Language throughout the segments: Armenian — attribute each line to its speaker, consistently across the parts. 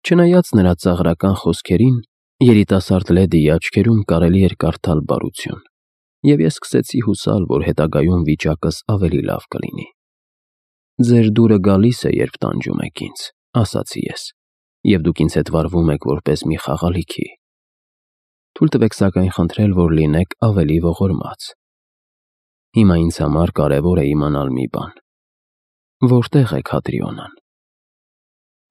Speaker 1: Չնայած նրա ծաղրական խոսքերին, երիտասարդ լեդիի աչքերում կարելի էր կարդալ բարություն, և ես սկսեցի հուսալ, որ հետագայում վիճակս ավելի լավ կլինի։ «Ձեր դուրը գալիս է, երբ տանջում եք ինձ», ասացի ես, «և դուք ինձ հետ վարվում եք որպես մի խաղալիքի։ Թույլ տվեք սակայն խնդրել, որ լինեք ավելի ողորմած։ Հիմա ինձ համար կարևոր է իմանալ մի բան. որտե՞ղ է Քադրիոնան»։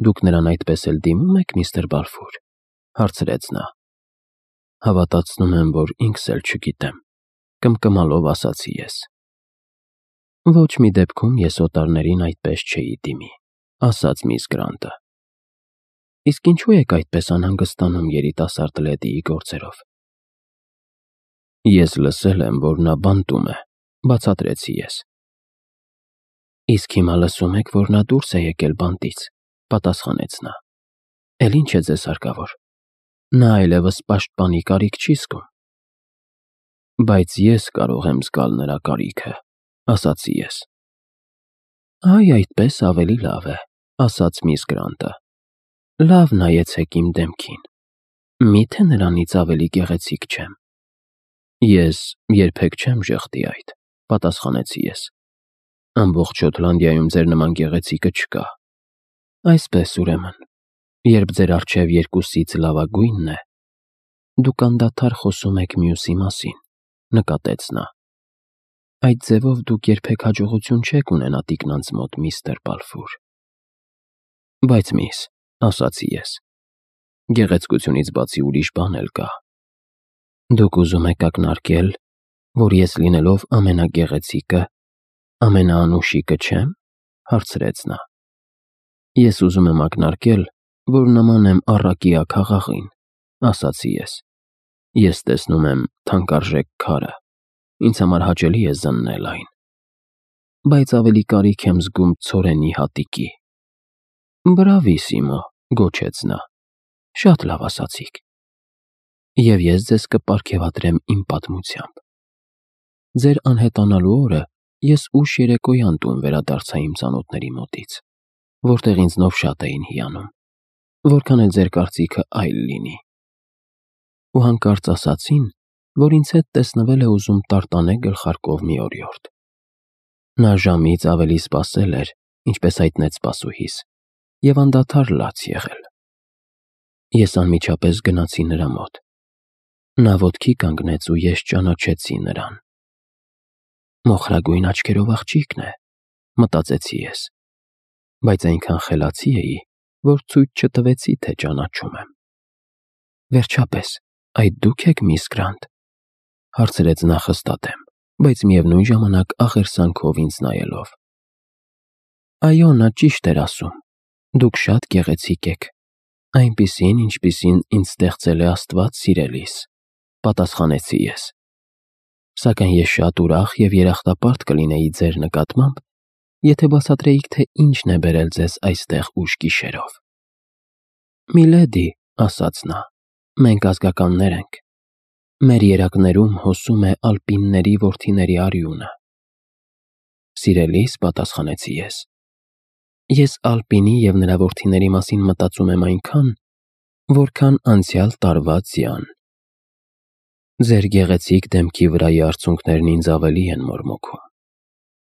Speaker 1: «Դուք նրան այդպես էլ դիմում եք, միստր Բալֆուր», հարցրեց նա։ «Հավատացնում եմ, որ ինքս էլ չգիտեմ», կմկմալով ասացի ես։ «Ոչ մի դեպքում ես օտարներին այդպես չէի դիմի», ասաց միս Գրանտը։ «Իսկ ինչու եք այդպես անհանգստանում երիտասարդ լեդիի գործերով»։ «Ես լսել եմ, որ նա բանտում է», բացատրեցի ես։ «Իսկ հիմա լսում եք, որ նա դուրս է եկել բանտից», պատասխանեց նա։ «Էլ ինչ է ձեզ հարկավոր։ Նա այլևս պաշտպանի կարիք չի զգում»։ «Բայց ես կարող եմ զգալ նրա կարիքը», ասացի ես։ «Այ այդպես ավելի լավ է», ասաց միս Գրանտը։ «Լավ նայեցեք իմ դեմքին։ Մի՞թե նրանից ավելի գեղեցիկ չեմ»։ «Ես երբեք չեմ ժխտի այդ», պատասխանեցի ես։ «Ամբողջ Շոտլանդիայում ձեր նման գեղեցիկը չկա»։ «Այսպես, ուրեմն, երբ ձեր առջև երկուսից լավագույնն է, դուք անդադար խոսում եք մյուսի մասին», նկատեց նա։ «Այդ ձևով դուք երբեք հաջողություն չեք ունենա տիկնանց մոտ, միստր Բալֆուր»։ «Բայց միս», ասացի ես, «գեղեցկությունից բացի ուրիշ բան էլ կա»։ «Դուք ուզում եք ակնարկել, որ ես լինելով ամենագեղեցիկը, ամենաանուշիկը չեմ», հարցրեց նա։ «Ես ուզում եմ ակնարկել, որ նման եմ առակիա քաղաղին», ասացի ես։ «Ես տեսնում եմ թանկարժեք քարը, ինձ համար հաճելի է զննել այն, բայց ավելի կարիք եմ զգում ցորենի հատիկի»։ «Բրավիսիմո», գոչեց նա, «շատ լավ ասացիք։ Եվ ես ձեզ կպարգևատրեմ իմ պատմությամբ։ Ձեր անհետանալու օրը ես ուշ երեկոյան տուն վերադարձա իմ ծանոթների մոտից, որտեղ ինձնով շատ էին հիանում, որքան էլ ձեր կարծիքը այլ լինի։ Ու հանկարծ ասացին, որ ինձ հետ տեսնվել է ուզում տարտանե գլխարկով մի օրիորդ։ Նա ժամից ավելի սպասել էր, ինչպես հայտնեց սպասուհիս, և անդադար լաց եղել։ Ես անմիջապես գնացի նրա մոտ։ Նա ոտքի կանգնեց ու ես ճանաչեցի նրան։ Մոխրագույն աչքերով աղջիկն է, մտածեցի ես, բայց այնքան խելացի էի, որ ցույց չտվեցի, թե ճանաչում եմ։ «Վերջապես, այդ դու՞ք եք, միս Գրանտ», հարցրեց նա խստատեմ, բայց միևնույն ժամանակ աղերսանքով ինձ նայելով։ «Այո, նա ճիշտ էր ասում, դուք շատ գեղեցիկ եք, այնպիսին, ինչպիսին ինձ ստեղծել է Աստված սիրելիս», պատասխանեցի ես։ «Սակայն ես շատ ուրախ և երախտապարտ կլինեի ձեր նկատմամբ, եթե բացատրեիք, թե ինչն է բերել ձեզ այստեղ ուշ գիշերով»։ «Միլեդի», ասաց նա, «մենք ազգականներ ենք։ Մեր երակներում հոսում է ալպինների որդիների արյունը»։ «Սիրելիս», պատասխանեցի ես, «ես ալպինի և նրա որդիների մասին մտածում եմ այնքան, որքան անցյալ տարվա ձյան։ Ձեր գեղեցիկ դեմքի վրայի արցունքներն ինձ ավելի են մորմոքում,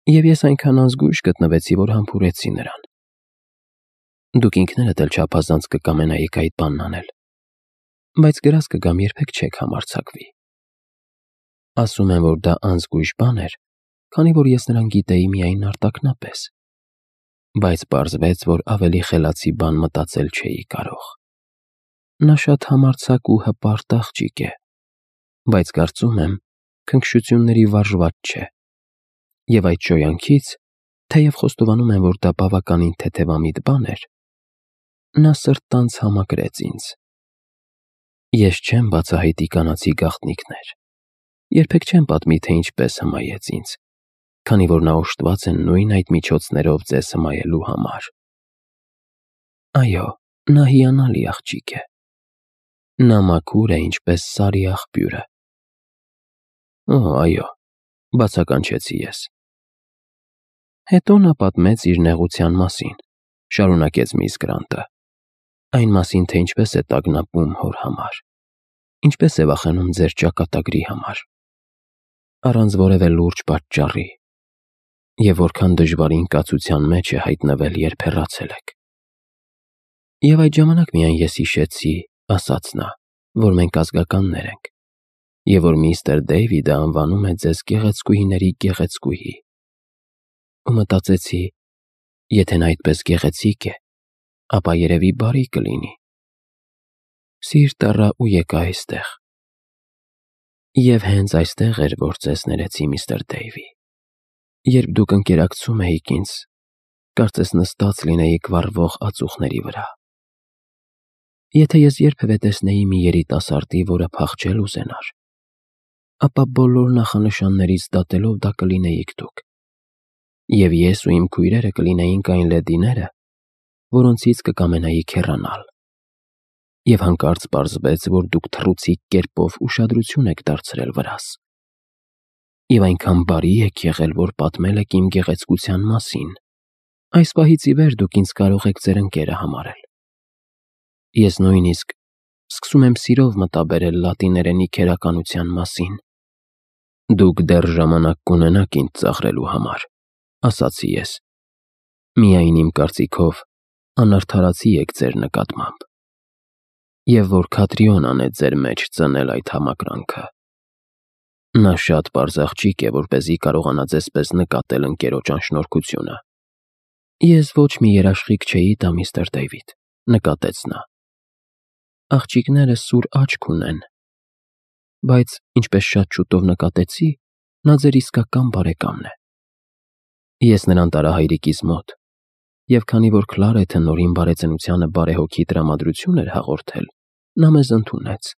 Speaker 1: և ես այնքան անզգույշ գտնվեցի, որ համբուրեցի նրան։ Դուք ինքներդ էլ չափազանց կկամենայիք այդ բանն անել, բայց գրազ կգամ, երբեք չեք համարձակվի։ Ասում եմ, որ դա անզգույշ բան էր, քանի որ ես նրան գիտեի միայն արտակնապես, բայց պարզվեց, որ ավելի խելացի բան մտածել չէի կարող։ Նա շատ համարձակ ու հպարտ աղջիկ է, բայց կարծում եմ, քնքշությունների վարժված չէ, և այդ շոյանքից, թեև խոստովանում եմ, որ դա բավականին թեթևամիտ բան էր, նա սրտանց համակրեց ինձ։ Ես չեմ բացահայտի կանացի գաղտնիքներ, երբեք չեմ պատմի, թե ինչպես հմայեց ինձ, քանի որ նա օժտված է նույն այդ միջոցներով ձեզ հմայելու համար։ Այո, նա հիանալի աղջիկ է։ Նա մաքուր է, ինչպես սարի աղբյուրը։ Այո, բացականչեցի ես։ Հետո նա պատմեց իր նեղության մասին, շարունակեց միս Գրանտը, Այն մասին, թե ինչպես է տագնապում հոր համար, ինչպես է վախենում ձեր ճակատագրի համար, առանց որևէ լուրջ պատճառի, և որքան դժվարին կացության մեջ է հայտնվել, երբ հեռացել եք։ Եվ այդ ժամանակ միայն ես հիշեցի, ասաց նա, որ մենք ազգականներ ենք, և որ միստր Դեյվիդը անվանում է ձեզ գեղեցկուհիների գեղեցկուհի։ Ու մտածեցի, եթե նա այդպես գեղեցիկ է, ապա երևի բարի կլինի։ Սիրտ առա ու եկա այստեղ։ Եվ հենց այստեղ էր, որ ձեզ ներեցի, միստր Դեյվի։ Երբ դուք ընկերակցում էիք ինձ, կարծես նստած լինեիք վառվող ածուխների վրա։ Եթե ես երբևէ տեսնեի մի երիտասարդի, որը փախչել ուզենար, ապա բոլոր նախանշաններից դատելով դա կլինեիք դուք։ Եվ ես ու իմ քույրերը կլինեինք այն լեդիները, որոնցից կկամենայիք հեռանալ։ Եվ հանկարծ պարզվեց, որ դուք թռուցիկ կերպով ուշադրություն եք դարձրել վրաս։ Եվ այնքան բարի եք եղել, որ պատմել եք իմ գեղեցկության մասին։ Այս պահից ի վեր դուք ինձ կարող եք ձեր ընկերը համարել։ Ես նույնիսկ սկսում եմ սիրով մտաբերել լատիներենի քերականության մասին։ Դուք դեռ ժամանակ կունենաք ինձ ծաղրելու համար, ասացի ես։ Միայն իմ կարծիքով անարդարացի եք ձեր նկատմամբ։ Եվ որ Քատրիոնան է ձեր մեջ ծնել այդ համակրանքը։ Նա շատ պարզ աղջիկ է, որպեսզի կարողանա ձեզպես նկատել ընկերոջ անշնորհքությունը։ Ես ոչ մի երաշխիք չէի տա, միստր Դեյվիդ, նկատեց նա։ Աղջիկները սուր աչք ունեն, բայց ինչպես շատ շուտով նկատեցի, նա ձեր իսկական բարեկամն է։ Ես նրան տարա հայրիկիս մոտ, և քանի որ քլար է, թե նորին բարեծնությանը բարեհոգի տրամադրություն էր հաղորդել, նա մեզ ընդունեց։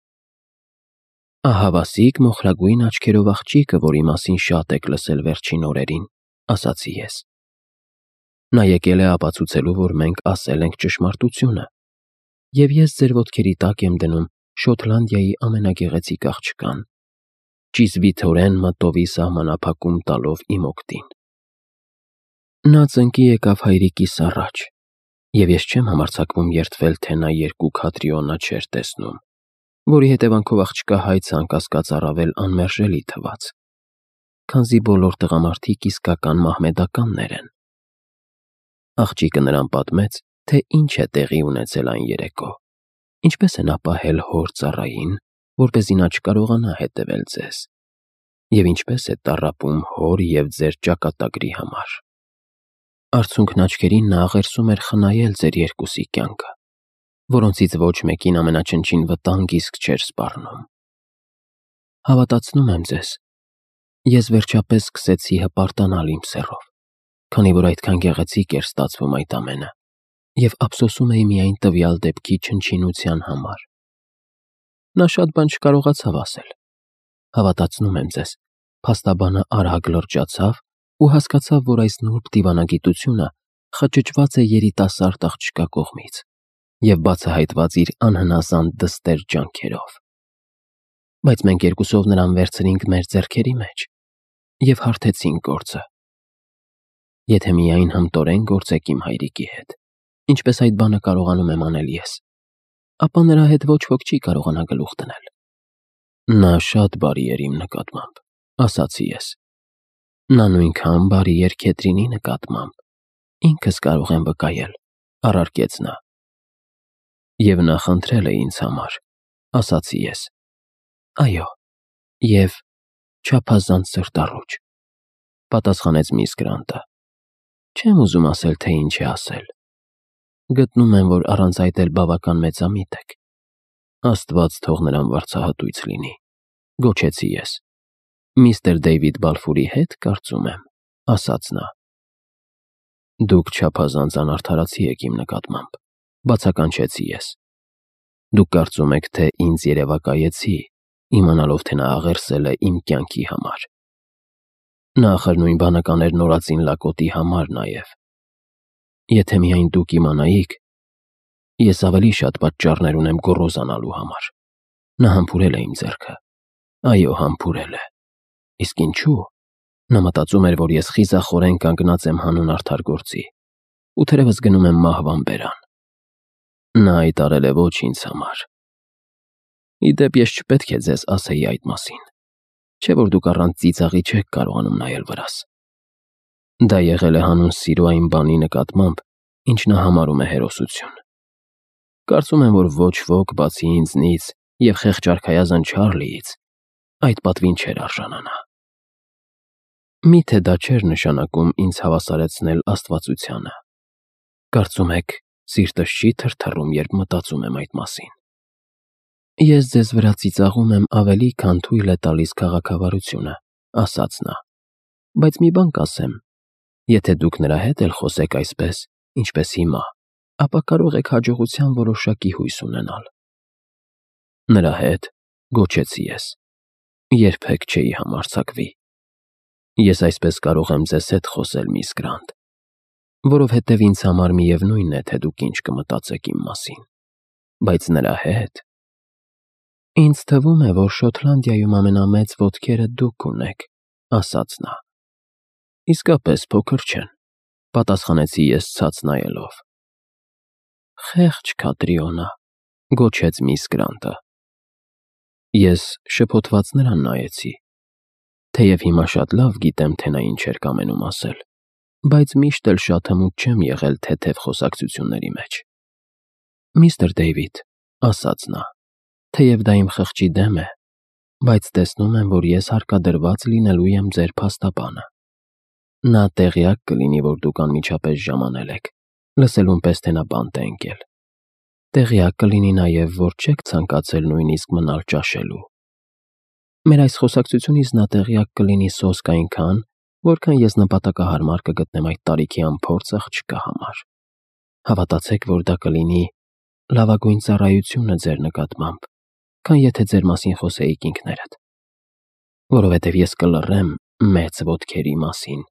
Speaker 1: Ահավասիկ մոխրագույն աչքերով աղջիկը, որի մասին շատ եք լսել վերջին օրերին, ասացի ես։ Նա եկել է ապացուցելու, որ մենք ասել ենք ճշմարտությունը, և ես ձեր ոտքերի տակ եմ դնում Շոտլանդիայի ամենագեղեցիկ աղջկան, ճիզվիթորեն մտովի սահմանափակում տալով իմ օգտին։ Նա ծնկի եկավ հայրիկիս առաջ, և ես չեմ համարձակվում երդվել, թե նա երկու Քատրիոնա չէր տեսնում, որի հետևանքով աղջկա հայցը անկասկած առավել անմերժելի թվաց, քանզի բոլոր տղամարդիկ իսկական մահմեդականներ են։ Աղջիկը նրան պատմեց, թե ինչ է տեղի ունեցել այն երեկո, ինչպես են ապահել հոր ծառային, որպեսզի նա չկարողանա հետևել ձեզ, և ինչպես է տառապում հոր և ձեր ճակատագրի համար։ Արցունքն աչքերին նա աղերսում էր խնայել ձեր երկուսի կյանքը, որոնցից ոչ մեկին ամենաչնչին վտանգ իսկ չէր սպառնում։ Հավատացնում եմ ձեզ, ես վերջապես սկսեցի հպարտանալ իմ սեռով, քանի որ այդքան գեղեցիկ էր ստացվում այդ ամենը, և ափսոսում էի միայն տվյալ դեպքի չնչինության համար։ Նա շատ բան չկարողացավ ասել։ Հավատացնում եմ ձեզ, փաստաբանը արագ լրջացավ ու հասկացավ, որ այս նուրբ դիվանագիտությունը խճճված է երիտասարդ աղջկա կողմից և բացահայտված իր անհնազանդ դստեր ջանքերով։ Բայց մենք երկուսով նրան վերցրինք մեր ձեռքերի մեջ և հարթեցինք գործը։ Եթե միայն հմտորեն գործեք իմ հայրիկի հետ, ինչպես այդ բանը կարողանում եմ անել ես, ապա նրա հետ ոչ ոք չի կարողանա գլուխ դնել։ Նա շատ բարի էր իմ նկատմամբ, ասացի ես։ Նա նույնքան բարի էր Քեթրինի նկատմամբ, ինքս կարող եմ վկայել, առարկեց նա։ Եվ նա խնդրել է ինձ համար, ասացի ես։ Այո, և չափազանց սրտառուչ, պատասխանեց միս Գրանտը։ Չեմ ուզում ասել, թե ինչ է ասել։ Գտնում եմ, որ առանց այդ էլ բավական մեծամիտ եք։ Աստված թող նրան վարձահատույց լինի, գոչեցի ես։ Միստր Դեյվիդ Բալֆուրի հետ, կարծում եմ, ասաց նա։ Դուք չափազանց անարդարացի եք իմ նկատմամբ, բացականչեցի ես։ Դուք կարծում եք, թե ինձ երևակայեցի, իմանալով, թե նա աղերսել է իմ կյանքի համար։ Նա ախր նույն բանը կաներ նորածին լակոտի համար նաև։ Եթե միայն դուք իմանայիք, ես ավելի շատ պատճառներ ունեմ գոռոզանալու համար։ Նա համբուրել է իմ ձեռքը։ Այո, համբուրել է։ Իսկ ինչու՞։ Նա մտածում էր, որ ես խիզախորեն կանգնած եմ հանուն արդար գործի, ու թերևս գնում եմ մահվան բերան։ Նա հայտարել է ոչ ինձ համար։ Ի դեպ, ես չպետք է ձեզ ասեի այդ մասին, չէ՞ որ դուք առանց ծիծաղի չեք կարողանում նայել վրաս։ Դա եղել է հանուն սիրո այն բանի նկատմամբ, ինչ նա համարում է հերոսություն։ Կարծում եմ, որ ոչ ոք, բացի ինձնից և խեղճարքայազն Չարլիից, այդ պատվին չէր արժանանա։ Միթե դա չէր նշանակում ինձ հավասարեցնել աստվածությանը։ Կարծում եք, սիրտս չի թրթռում, երբ մտածում եմ այդ մասին։ Ես ձեզ վրա ծիծաղում եմ ավելի, քան թույլ է տալիս քաղաքավարությունը, ասաց նա, բայց մի բան կասեմ, եթե դուք նրա հետ էլ խոսեք այսպես, ինչպես հիմա, ապա կարող եք հաջողության որոշակի հույս ունենալ։ Նրա հետ, գոչեցի ես, երբեք չէի համարձակվի։ Ես այսպես կարող եմ ձեզ հետ խոսել, միս Գրանտ, որովհետև ինձ համար միևնույն է, թե դուք ինչ կմտածեք իմ մասին, բայց նրա հետ… Ինձ թվում է, որ Շոտլանդիայում ամենամեծ ոտքերը դուք ունեք, ասաց նա։ Իսկապես փոքր չեն, պատասխանեցի ես ցած նայելով։ Խեղճ Քատրիոնա, գոչեց միս Գրանտը։ Ես շփոթված նրան նայեցի, թեև հիմա շատ լավ գիտեմ, թե նա ինչ էր կամենում ասել, բայց միշտ էլ շատ հմուտ չեմ եղել թեթև խոսակցությունների մեջ։ Միստր Դեյվիդ, ասաց նա, թեև դա իմ խղճի դեմ է, բայց տեսնում եմ, որ ես հարկադրված լինելու եմ ձեր փաստաբանը։ Նա տեղյակ կլինի, որ դուք անմիջապես ժամանել եք, լսելուն պես թե նա բանտ է ընկել։ Տեղյակ կլինի նաև, որ չեք ցանկացել նույնիսկ մնալ ճաշելու։ Մեր այս խոսակցությունից նա տեղյակ կլինի սոսկ այնքան, որքան ես նպատակահարմար կգտնեմ այդ տարիքի անփորձ աղջկա համար։ Հավատացեք, որ դա կլինի լավագույն ծառայությունը ձեր նկատմամբ, քան եթե ձեր մասին խոսեիք ինքներդ, որովհետև ես կլռեմ մեծ ոտքերի մասին։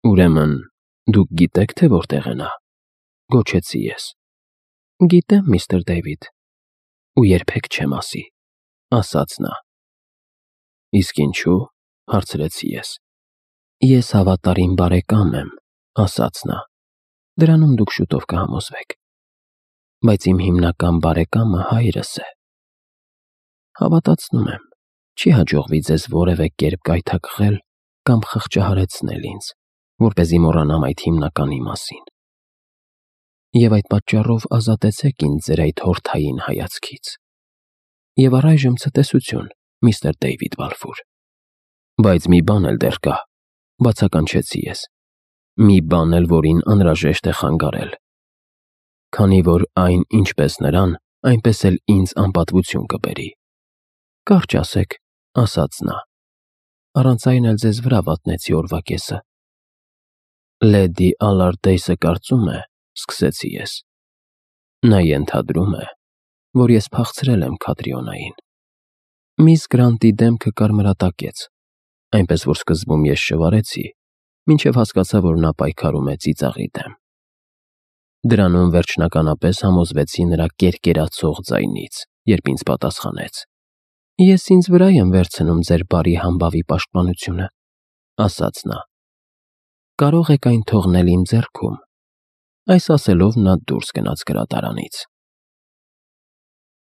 Speaker 1: Ուրեմն, դուք գիտեք, թե որտեղ է նա, գոչեցի ես։ Գիտեմ, միստր Դեյվիդ, ու երբեք չեմ ասի, ասաց նա։ Իսկ ինչու՞, հարցրեցի ես։ Ես հավատարիմ բարեկամ եմ, ասաց նա։ Դրանում դուք շուտով կհամոզվեք։ Բայց իմ հիմնական բարեկամը հայրս է։ Հավատացնում եմ, չի հաջողվի ձեզ որևէ կերպ կայթակղել կամ խղճահարեցնել ինձ, որպեսզի մոռանամ այդ հիմնականի մասին։ Եվ այդ պատճառով ազատեցեք ինձ ձեր այդ հորթային հայացքից։ Եվ առայժմ ցտեսություն, միստր Դեյվիդ Բալֆուր։ Բայց մի բան էլ դեռ կա, բացականչեցի ես։ Մի բան էլ, որին անհրաժեշտ է խանգարել։ Քանի որ այն ինչպես նրան, այնպես էլ ինձ անպատվություն կբերի։ Կարճ ասեք, ասաց նա։ Առանց այն էլ ձեզ վրա վատնեցի օրվա կեսը։ Լեդի Ալարդեյսը կարծում է, սկսեցի ես։ Նա ենթադրում է, որ ես փախցրել եմ Քատրիոնային։ Միս Գրանտի դեմքը կարմրատակեց, այնպես որ սկզբում ես շվարեցի, մինչև հասկացա, որ նա պայքարում է ծիծաղի դեմ։ Դրանում վերջնականապես համոզվեցի նրա կերկերացող ձայնից, երբ ինձ պատասխանեց. Ես ինձ վրա եմ վերցնում ձեր բարի համբավի պաշտպանությունը, ասաց նա։ Կարող եք այն թողնել իմ ձեռքում։ Այս ասելով նա դուրս գնաց գրադարանից։